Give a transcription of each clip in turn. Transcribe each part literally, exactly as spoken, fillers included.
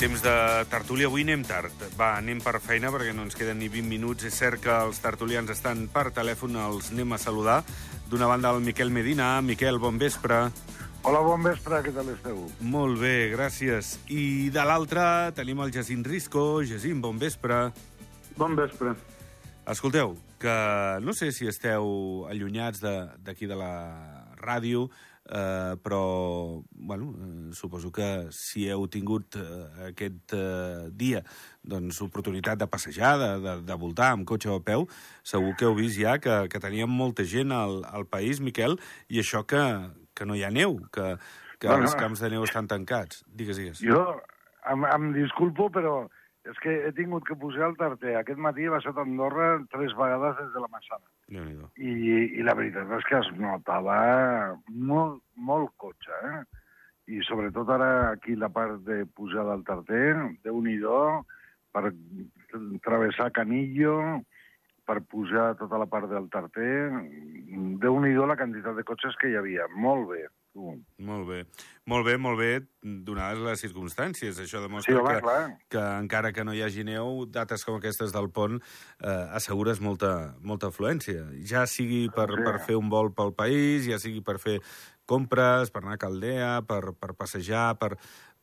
Temps de tertúlia. Avui anem tard. Va, anem per feina perquè no ens queden ni vint minuts. És cert que els tertulians estan per telèfon, els anem a saludar. D'una banda, el Miquel Medina. Miquel, bon vespre. Hola, bon vespre, què tal esteu? Molt bé, gràcies. I de l'altra tenim el Jacint Risco. Jacint, bon vespre. Bon vespre. Escolteu, que no sé si esteu allunyats d'aquí de, de la ràdio, eh, però, bueno, eh, suposo que si heu tingut eh, aquest eh, dia doncs, oportunitat de passejar, de, de, de voltar amb cotxe o a peu, segur que heu vist ja que, que teníem molta gent al, al país, Miquel, i això que, que no hi ha neu, que, que bueno, els camps de neu estan tancats. Digues, digues. Jo em, em disculpo, però és que he tingut que pujar el tarter. Aquest matí he baixat a Andorra tres vegades des de la Massana. I, I la veritat és que es notava molt, molt cotxe, eh? I sobretot ara aquí la part de pujar del tarter, Déu-n'hi-do, per travessar Canillo, per pujar tota la part del tarter, Déu-n'hi-do la quantitat de cotxes que hi havia. Molt bé. Uh. Molt bé, molt bé, molt bé, donades les circumstàncies. Això demostra sí, home, que, que encara que no hi hagi neu, dates com aquestes del pont eh, assegures molta, molta afluència. Ja sigui per, sí. per fer un vol pel país, ja sigui per fer compres, per anar a Caldea, per, per passejar, per,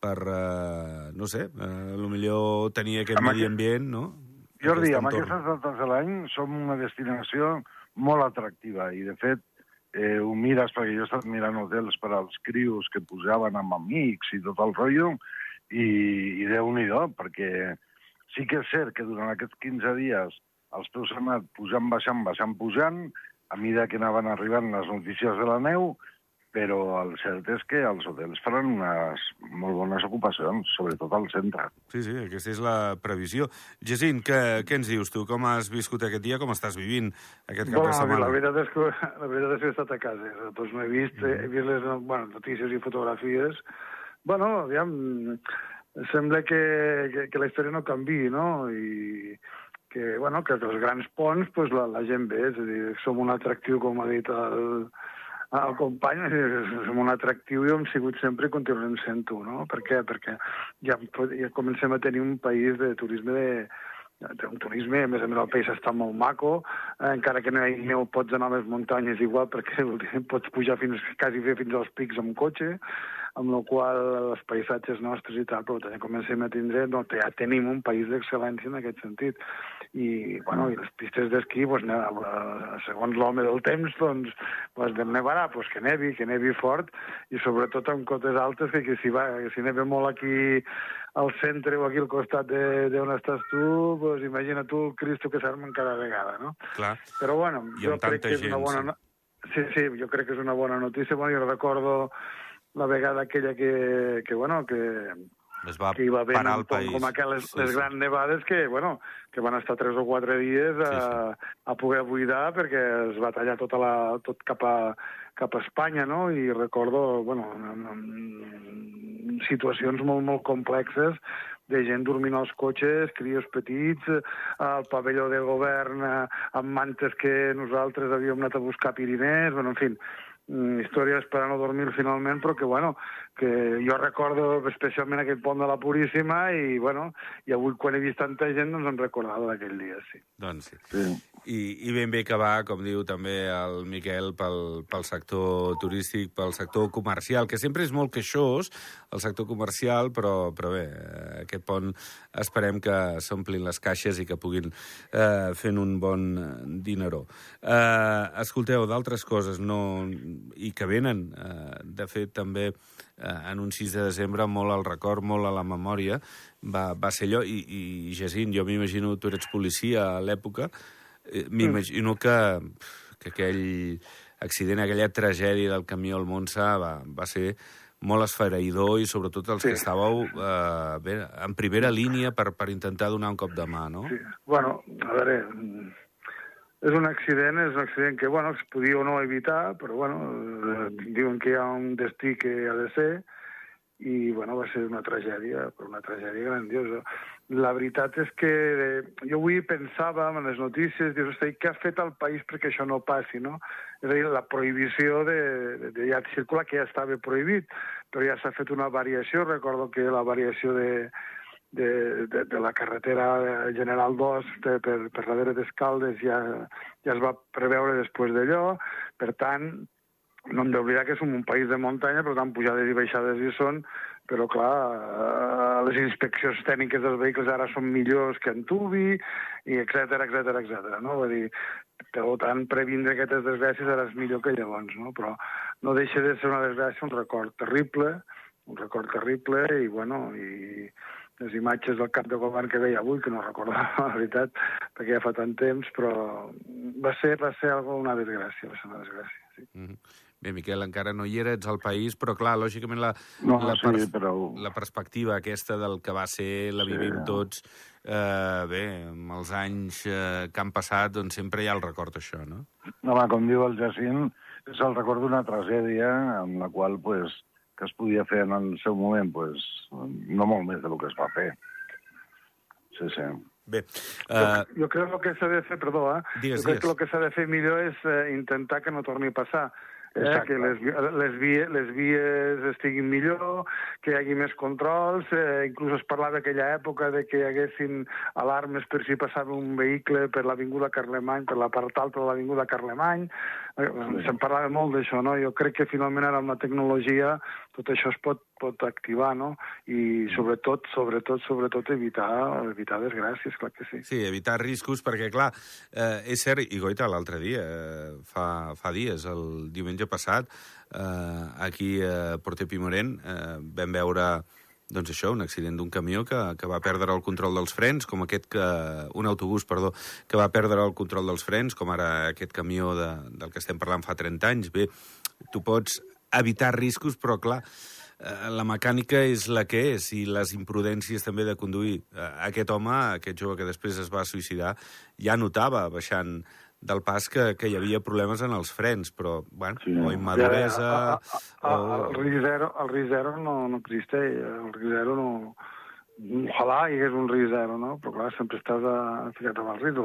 per eh, no sé, eh, potser tenir aquest amb medi ambient, no? Jordi, amb aquestes dates de l'any som una destinació molt atractiva i, de fet, Eh, ho mires, perquè jo he estat mirant hotels per als crios que pujaven amb amics i tot el rotllo, i, i Déu-n'hi-do, perquè sí que és cert que durant aquests quinze dies els preus han anat pujant, baixant, baixant, pujant, a mesura que anaven arribant les notícies de la neu, però el cert és que els hotels faran unes molt bones ocupacions, sobretot al centre. Sí, sí, aquesta és la previsió. Jacint, què, què ens dius tu? Com has viscut aquest dia? Com estàs vivint aquest cap bueno, de setmana? La veritat és que, la veritat és que he estat a casa. Doncs no he vist, mm. he vist les bueno, notícies i fotografies. Bueno, aviam, sembla que, que, que la història no canvi, no? I que, bueno, que els grans ponts pues, la, la gent ve, és a dir, som un atractiu, com ha dit el... el company, som un atractiu i hem sigut sempre i continuem sent-ho, no? Per què? Perquè ja, ja comencem a tenir un país de turisme de, de un turisme, a més a més el país està molt maco, eh, encara que no hi neu pots anar a les muntanyes igual perquè pots pujar fins, quasi fer fins als pics amb cotxe, amb la qual els paisatges nostres i tal, però també comencem a tindre, no, ja tenim un país d'excel·lència en aquest sentit. I, bueno, i les pistes d'esquí, doncs, segons l'home del temps, doncs, doncs de nevarà, doncs que nevi, que nevi fort, i sobretot amb cotes altes, que, que si, va, que si neve molt aquí al centre o aquí al costat d'on estàs tu, doncs imagina tu el Cristo que s'armen cada vegada, no? Clar. Però, bueno, jo crec que és una bona... Sí, sí, jo crec que és una bona notícia. Bueno, jo recordo la vegada aquella que, que bueno, que... Es va que hi va haver parar el país. Com aquelles sí, les sí. grans nevades que, bueno, que van estar tres o quatre dies a, sí, sí. a poder buidar perquè es va tallar tota la, tot cap a, cap a Espanya, no? I recordo, bueno, situacions molt, molt complexes de gent dormint als cotxes, crios petits, al pavelló del govern amb mantes que nosaltres havíem anat a buscar a Pirinès, bueno, en fi, històries per a no dormir finalment, però que, bueno, que jo recordo especialment aquest pont de la Puríssima i, bueno, i avui quan he vist tanta gent, doncs em recordava d'aquell dia, sí. Doncs sí. sí. I, I ben bé que va, com diu també el Miquel, pel, pel sector turístic, pel sector comercial, que sempre és molt queixós, el sector comercial, però, però bé, aquest pont esperem que s'omplin les caixes i que puguin eh, fent un bon dineró. Eh, escolteu, d'altres coses, no... i que venen, eh, de fet, també eh, en un sis de desembre, molt al record, molt a la memòria, va, va ser allò, i, i Jacint, jo m'imagino, tu eres policia a l'època, eh, m'imagino que, que aquell accident, aquella tragèdia del camió al Montsà va, va ser molt esfereïdor i sobretot els sí. que estàveu eh, bé, en primera línia per, per intentar donar un cop de mà, no? Sí, bueno, a veure... És un accident, és un accident que, bueno, es podia o no evitar, però, bueno, diuen que hi ha un destí que ha de ser, i, bueno, va ser una tragèdia, però una tragèdia grandiosa. La veritat és que jo avui pensava en les notícies, dius, hosti, què ha fet el país perquè això no passi, no? És a dir, la prohibició de, de, de ja circular, que ja estava prohibit, però ja s'ha fet una variació, recordo que la variació de de, de, de la carretera General dos de, per, per darrere d'Escaldes ja, ja es va preveure després d'allò. Per tant, no hem d'oblidar que som un país de muntanya, per tant, pujades i baixades hi són, però, clar, les inspeccions tècniques dels vehicles ara són millors que en Tubi, i etcètera, etcètera, etcètera, no? Vull dir, per tant, previndre aquestes desgràcies ara és millor que llavors, no? Però no deixa de ser una desgràcia, un record terrible, un record terrible, i, bueno, i les imatges del cap de govern que veia avui, que no recordava, la veritat, perquè ja fa tant temps, però va ser, va ser una desgràcia, va ser una desgràcia, sí. Mm-hmm. Bé, Miquel, encara no hi era, ets al país, però, clar, lògicament la, no, la, sí, pers però... la perspectiva aquesta del que va ser, la vivim sí. tots, eh, bé, amb els anys eh, que han passat, doncs sempre hi ha el record això, no? Home, com diu el Jacint, és el record d'una tragèdia en la qual, pues, que es podia fer en el seu moment, pues, no molt més del que es va fer. Sí, sí. Bé, uh... jo, jo crec que s'ha de fer, perdó, eh? Digues, jo crec digues. que el que s'ha de fer millor és eh, intentar que no torni a passar. Eh, que les, les, vies, les vies estiguin millor, que hi hagi més controls, eh, inclús es parlava d'aquella època de que hi haguessin alarmes per si passava un vehicle per l'Avinguda Carlemany, per la part alta de l'Avinguda Carlemany. Eh, se'n parlava molt d'això, no? Jo crec que finalment ara amb la tecnologia tot això es pot, pot activar, no? I sobretot, sobretot, sobretot evitar, evitar desgràcies, clar que sí. Sí, evitar riscos, perquè, clar, eh, és cert, i goita, l'altre dia, eh, fa, fa dies, el diumenge passat, eh, aquí a Porter Pimorent, eh, vam veure, doncs això, un accident d'un camió que, que va perdre el control dels frens, com aquest que... un autobús, perdó, que va perdre el control dels frens, com ara aquest camió de, del que estem parlant fa trenta anys. Bé, tu pots evitar riscos, però, clar, la mecànica és la que és, i les imprudències també de conduir. Aquest home, aquest jove que després es va suïcidar, ja notava, baixant del pas, que, que hi havia problemes en els frens, però, bueno, sí. o immaduresa... Ja, a, a, a, o... El risc zero, el risc zero no, no existeix, el risc zero no... Ojalà hi hagués un risc zero, no? Però, clar, sempre estàs a, ficat amb el risc.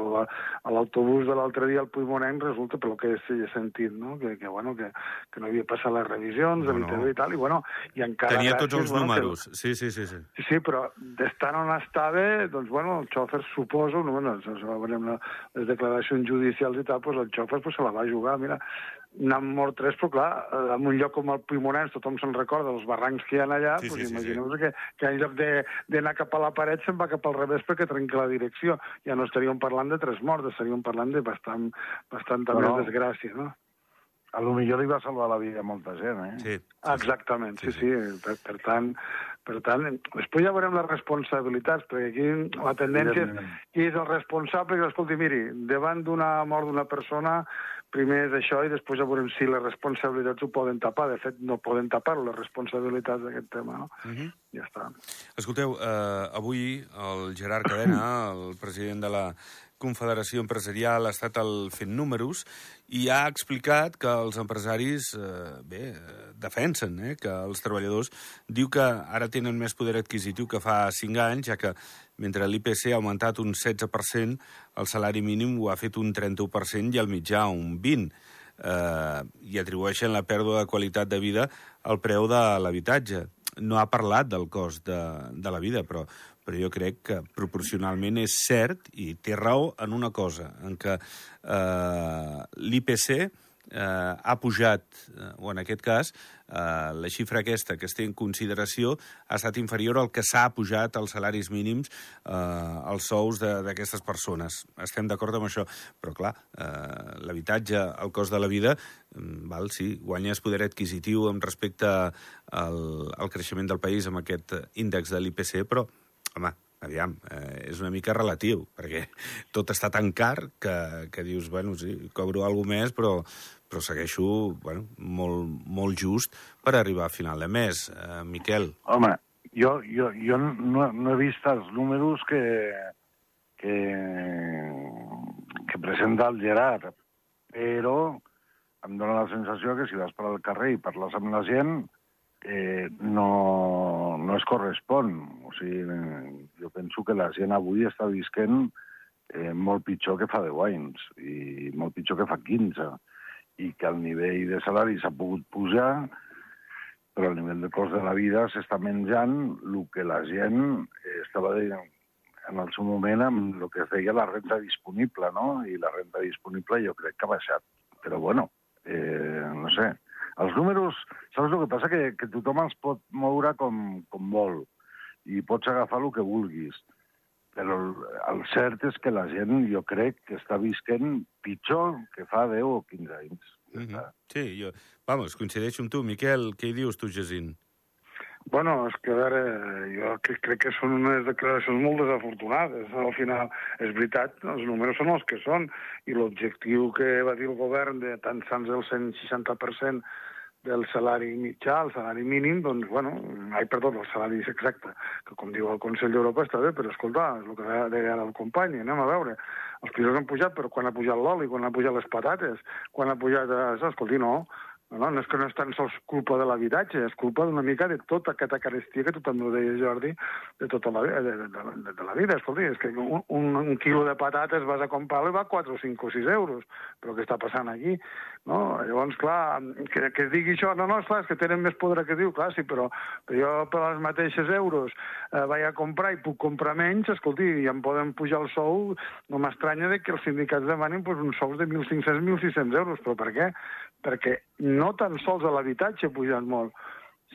A l'autobús de l'altre dia al Puigmonenc resulta, pel que he sentit, no? Que, que, bueno, que, que no havia passat les revisions, no, no. i tal, i, bueno, i encara... Tenia gràcies, tots els bueno, números, que... sí, sí, sí, sí. Sí, sí, però d'estar on estava, doncs, bueno, el xòfer, suposo, no, bueno, veurem les declaracions judicials i tal, doncs el xòfer pues, se la va jugar, mira, n'han mort tres, però clar, en un lloc com el Puigmonens, tothom se'n recorda dels barrancs que hi ha allà, sí, doncs sí, imagineu sí, sí. Que, que en lloc d'anar cap a la paret se'n va cap al revés perquè trenca la direcció. Ja no estaríem parlant de tres morts, estaríem parlant de bastant, bastant no, més desgràcia, no? A lo millor li va salvar la vida a molta gent, eh? Sí. Exactament, sí, sí. sí. Per, per tant, per tant, després ja veurem les responsabilitats, perquè aquí la tendència és qui és el responsable, que escolti, miri, davant d'una mort d'una persona, primer és això i després ja veurem si les responsabilitats ho poden tapar. De fet, no poden tapar les responsabilitats d'aquest tema, no? Uh-huh. Ja està. Escolteu, eh, avui el Gerard Cadena, el president de la Confederació Empresarial, ha estat el fent números i ha explicat que els empresaris, eh, bé, defensen eh, que els treballadors diu que ara tenen més poder adquisitiu que fa cinc anys, ja que mentre l'I P C ha augmentat un setze per cent, el salari mínim ho ha fet un trenta-u per cent i el mitjà un vint per cent. Eh, I atribueixen la pèrdua de qualitat de vida al preu de l'habitatge. No ha parlat del cost de, de la vida, però, però jo crec que proporcionalment és cert, i té raó en una cosa, en què eh, l'I P C eh, ha pujat, eh, o en aquest cas, eh, la xifra aquesta que es té en consideració ha estat inferior al que s'ha pujat als salaris mínims, eh, als sous d'aquestes persones. Estem d'acord amb això, però clar, eh, l'habitatge, el cost de la vida, val, sí, guanyes poder adquisitiu amb respecte al, al creixement del país amb aquest índex de l'I P C, però, home, aviam, eh, és una mica relatiu, perquè tot està tan car que, que dius, bueno, sí, cobro alguna més, però, però segueixo, bueno, molt, molt just per arribar a final de mes. Eh, Miquel? Home, jo, jo, jo no, no he vist els números que, que, que presenta el Gerard, però em dóna la sensació que si vas per al carrer i parles amb la gent, eh, no, no es correspon. O sigui, jo penso que la gent avui està visquent eh, molt pitjor que fa deu anys i molt pitjor que fa quinze, i que el nivell de salari s'ha pogut pujar, però a nivell de cost de la vida s'està menjant el que la gent estava dient en el seu moment amb el que es deia la renta disponible, no? I la renta disponible jo crec que ha baixat. Però, bueno, eh, no sé. Els números, saps el que passa? Que, que tothom els pot moure com, com vol i pots agafar el que vulguis. Però el, el cert és que la gent, jo crec, que està visquent pitjor que fa deu o quinze anys. Mm -hmm. Sí, jo... Vamos, coincideixo amb tu. Miquel, què hi dius tu, Jacint? Bueno, és que, a veure, jo crec, crec que són unes declaracions molt desafortunades. Al final, és veritat, els números són els que són, i l'objectiu que va dir el govern de tan sols el cent seixanta per cent del salari mitjà, el salari mínim, doncs, bueno, ai, perdó, el salari exacte, que com diu el Consell d'Europa està bé, però escolta, és el que deia ara el company, anem a veure, els pisos han pujat, però quan ha pujat l'oli, quan ha pujat les patates, quan ha pujat això, escolti, no, no, no és que no és tan sols culpa de l'habitatge, és culpa d'una mica de tota aquesta carestia que tu també ho deies, Jordi, de tota la, de, de, de, de la vida. Escolti, és que un, un, un quilo de patates vas a comprar-lo i va quatre, cinc o sis euros. Però què està passant aquí? No? Llavors, clar, que, que es digui això, no, no, esclar, és que tenen més poder que diu, clar, sí, però, però jo per als mateixos euros eh, vaig a comprar i puc comprar menys, escolti, i em poden pujar el sou, no m'estranya que els sindicats demanin pues, uns sous de mil cinc-cents, mil sis-cents euros, però per què? Perquè no tan sols a l'habitatge ha pujat molt,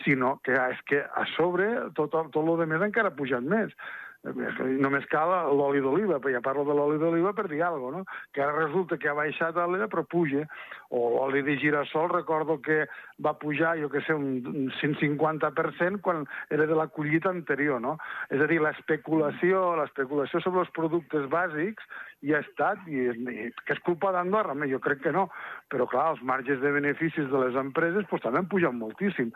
sinó que és que a sobre tot, tot el de més encara ha pujat més. Només cal l'oli d'oliva, ja parlo de l'oli d'oliva per dir alguna cosa, no? Que ara resulta que ha baixat l'era però puja. O l'oli de girassol, recordo que va pujar, jo què sé, un cent cinquanta per cent quan era de la collita anterior, no? És a dir, l'especulació, l'especulació sobre els productes bàsics hi ha estat, i, i que és culpa d'Andorra? Jo crec que no, però clar, els marges de beneficis de les empreses pues, també han pujat moltíssim.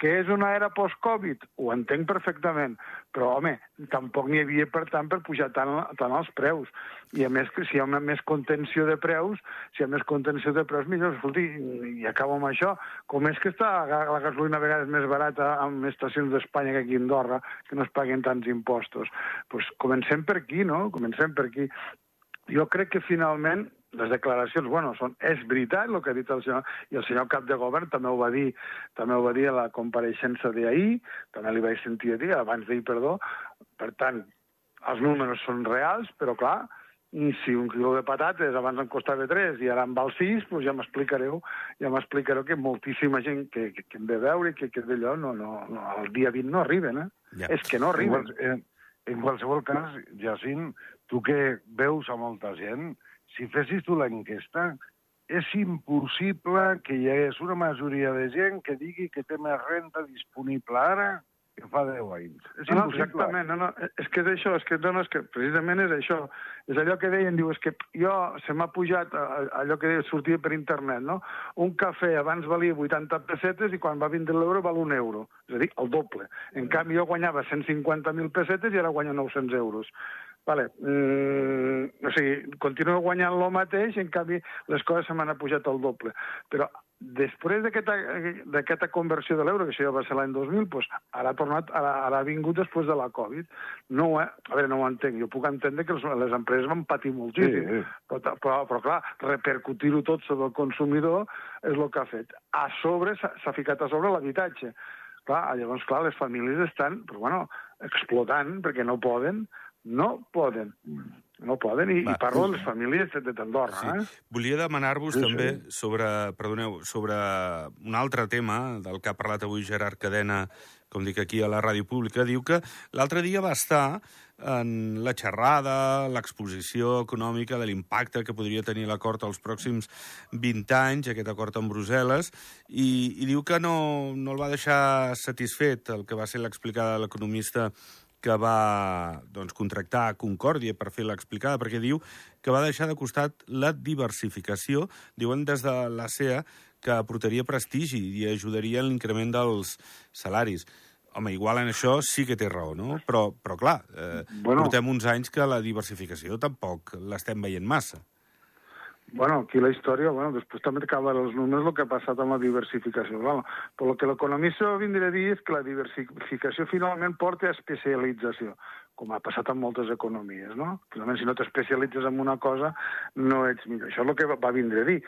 Que és una era post-Covid? Ho entenc perfectament, però home, tampoc n'hi havia, per tant, per pujar tant, tant els preus. I a més, si hi ha una més contenció de preus, si hi ha més contenció de preus, millor, escolti, i acabo amb això, com és que està la gasolina a vegades més barata en estacions d'Espanya que aquí a Andorra, que no es paguen tants impostos? Doncs pues comencem per aquí, no? Comencem per aquí. Jo crec que finalment les declaracions, bueno, són, és veritat el que ha dit el senyor, i el senyor cap de govern també ho va dir, també ho va dir a la compareixença d'ahir, també li vaig sentir a dir, abans d'ahir, perdó, per tant, els números són reals, però clar, si un quilo de patates abans em costava tres i ara em val sis, doncs ja m'explicareu, ja m'explicareu que moltíssima gent que, que, que hem de veure i que, que d'allò no, no, no, al dia vint no arriben, eh? Ja. És que no arriben. En, en qualsevol cas, Jacint, tu que veus a molta gent, si fessis tu l'enquesta, és impossible que hi hagués una majoria de gent que digui que té més renta disponible ara que fa deu anys. És no, no, exactament, no, no, és que és això, és que, no, no, és que precisament és això. És allò que deien, diu, és que jo se m'ha pujat allò que sortia per internet, no? Un cafè abans valia vuitanta pessetes i quan va vindre l'euro val un euro. És a dir, el doble. En canvi, jo guanyava cent cinquanta mil pessetes i ara guanyo nou-cents euros. Vale. Mm, o sigui, continuo guanyant el mateix i en canvi les coses se m'han pujat al doble. Però després d'aquesta conversió de l'euro, que això ja va ser l'any dos mil, doncs ara ha tornat, ara, ara ha vingut després de la Covid. No, eh? A veure, no ho entenc. Jo puc entendre que les, les empreses van patir moltíssim, sí, sí. Però, però, però clar, repercutir-ho tot sobre el consumidor és el que ha fet. A sobre s'ha ficat a sobre l'habitatge. Clar, llavors, clar, les famílies estan, però, bueno, explotant perquè no poden, no poden. No poden, i, i parlo de les famílies d'Andorra. Sí. Eh? Volia demanar-vos sí, també sí. sobre, perdoneu, sobre un altre tema del que ha parlat avui Gerard Cadena, com dic aquí a la ràdio pública. Diu que l'altre dia va estar en la xerrada, l'exposició econòmica de l'impacte que podria tenir l'acord als pròxims vint anys, aquest acord amb Brussel·les, i, i diu que no, no el va deixar satisfet el que va ser l'explicada de l'economista que va doncs, contractar Concòrdia per fer l'explicada, perquè diu que va deixar de costat la diversificació, diuen des de l'A C E A, que aportaria prestigi i ajudaria en l'increment dels salaris. Home, igual en això sí que té raó, no? Però, però clar, eh, bueno, portem uns anys que la diversificació tampoc l'estem veient massa. Bueno, aquí la història, bueno, després també cal veure els números el que ha passat amb la diversificació. Bueno, però el que l'economista vindria a dir és que la diversificació finalment porta a especialització. com ha passat en moltes economies, no? Finalment, si no t'especialitzes en una cosa, no ets millor. Això és el que va vindre a dir.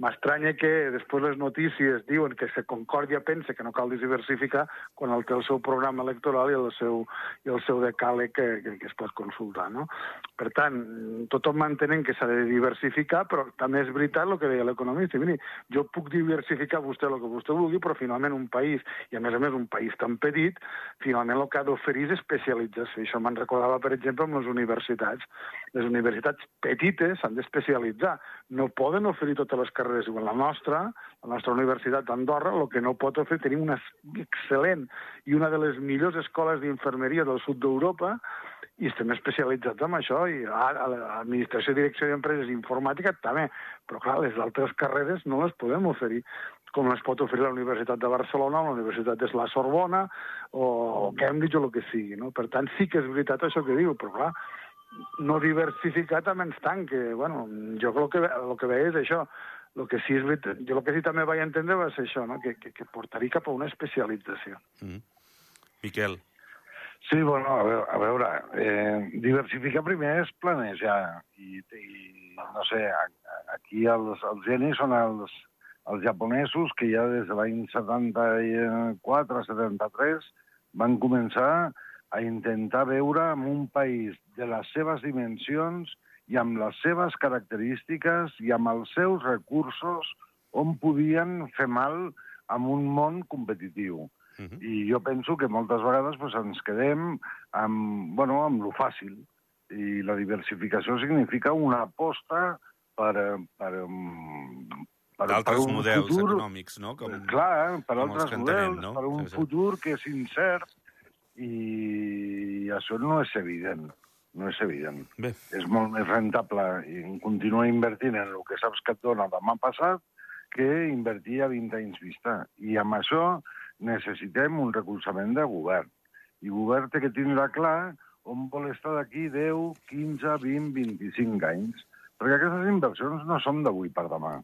M'estranya que després les notícies diuen que se Concòrdia pensa que no cal diversificar quan el té el seu programa electoral i el seu, i el seu decàleg que, que, que es pot consultar, no? Per tant, tothom mantenen que s'ha de diversificar, però també és veritat el que deia l'economista. Miri, jo puc diversificar vostè el que vostè vulgui, però finalment un país, i a més a més un país tan petit, finalment el que ha d'oferir és especialització. Això me'n recordava, per exemple, amb les universitats. Les universitats petites s'han d'especialitzar. No poden oferir totes les carreres. Igual la nostra, la nostra universitat d'Andorra, el que no pot oferir, tenim una excel·lent i una de les millors escoles d'infermeria del sud d'Europa, i estem especialitzats en això, i a l'administració i direcció d'empreses i informàtica també, però clar, les altres carreres no les podem oferir, com les pot oferir la Universitat de Barcelona o la Universitat de la Sorbona o Cambridge o el que sigui, no? Per tant, sí que és veritat això que diu, però clar, no diversificar també ens tanca. Bueno, jo el que, el que veia és això. El que sí és veritat, jo el que sí també vaig entendre va ser això, no? que, que, que portaria cap a una especialització. Mm. Miquel. Sí, bueno, a veure, a veure eh, diversificar primer és planejar. I, i no sé, aquí els, els genis són els, els japonesos que ja des de l'any setanta-quatre setanta-tres van començar a intentar veure en un país de les seves dimensions i amb les seves característiques i amb els seus recursos on podien fer mal en un món competitiu. Uh-huh. I jo penso que moltes vegades pues, ens quedem amb, bueno, amb lo fàcil. I la diversificació significa una aposta per, per, per, d'altres per un models futur, econòmics, no? Com, clar, per com altres entenem, models, no? per un sí, sí. futur que és incert, i això no és evident. No és evident. Bé. És molt més rentable continuar invertint en el que saps que et dona demà passat que invertir a vint anys vista. I amb això necessitem un recolzament de govern. I el govern té que tindre clar on vol estar d'aquí deu, quinze, vint, vint-i-cinc anys. Perquè aquestes inversions no són d'avui per demà.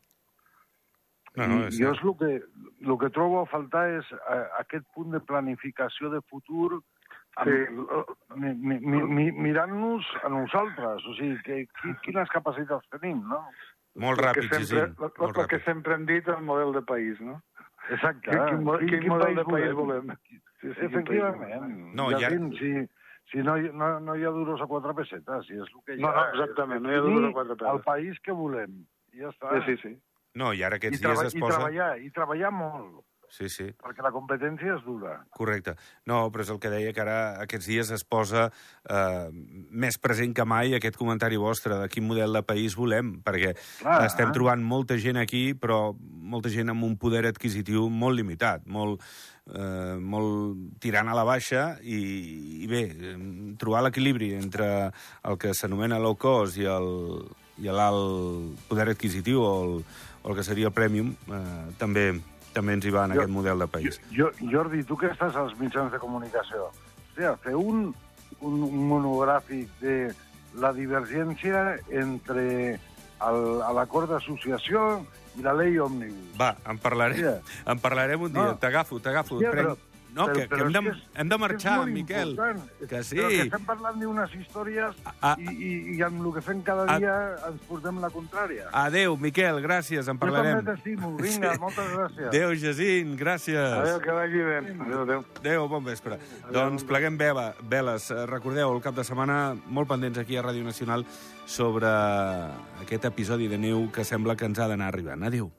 No, no, I jo és el que, el que trobo a faltar és a, aquest punt de planificació de futur amb, sí. mi, mi, mi, mirant-nos a nosaltres. O sigui, que, quines capacitats tenim, no? Molt ràpid, sí, sí. El que sempre hem dit, el model de país, no? Exacte. Quin, quin, quin, quin model de país volem? Sí, sí, efectivament. No, ja... Si, si no, no, no hi ha duros a quatre pessetes, si és el que hi ha... No, no, exactament, no hi ha duros a quatre pessetes. El país que volem. I ja està. Sí, sí, sí. No, i ara aquests I dies es I posa... treballar, i treballar molt. Sí, sí. Perquè la competència és dura. Correcte. No, però és el que deia, que ara aquests dies es posa eh, més present que mai aquest comentari vostre de quin model de país volem, perquè Clar, estem eh? trobant molta gent aquí, però molta gent amb un poder adquisitiu molt limitat, molt, eh, molt tirant a la baixa, i, i bé, trobar l'equilibri entre el que s'anomena low cost i el i l'alt poder adquisitiu o el, o el que seria el premium, eh, també... també ens hi va en jo, aquest model de país. Jo, Jordi, tu que estàs als mitjans de comunicació, hòstia, fer un, un monogràfic de la divergència entre l'acord d'associació i la llei òmnibus. Va, en parlarem, yeah. en parlarem un dia. No. T'agafo, t'agafo. Yeah, però, no, però, que, però que hem, de, és, hem de marxar, Miquel. Important. Que sí. Però que estem parlant d'unes històries a, a, i, i, i amb el que fem cada dia a, ens portem la contrària. Adéu, Miquel, gràcies, en parlarem. Jo també t'estimo, vinga, sí. Moltes gràcies. Adéu, Jacint, gràcies. Adéu, que vagi bé. Adéu, adéu. Adéu, bon vespre. Adéu. Doncs pleguem vela, veles. Recordeu, el cap de setmana, molt pendents aquí a Ràdio Nacional sobre aquest episodi de neu que sembla que ens ha d'anar arribant. Adéu.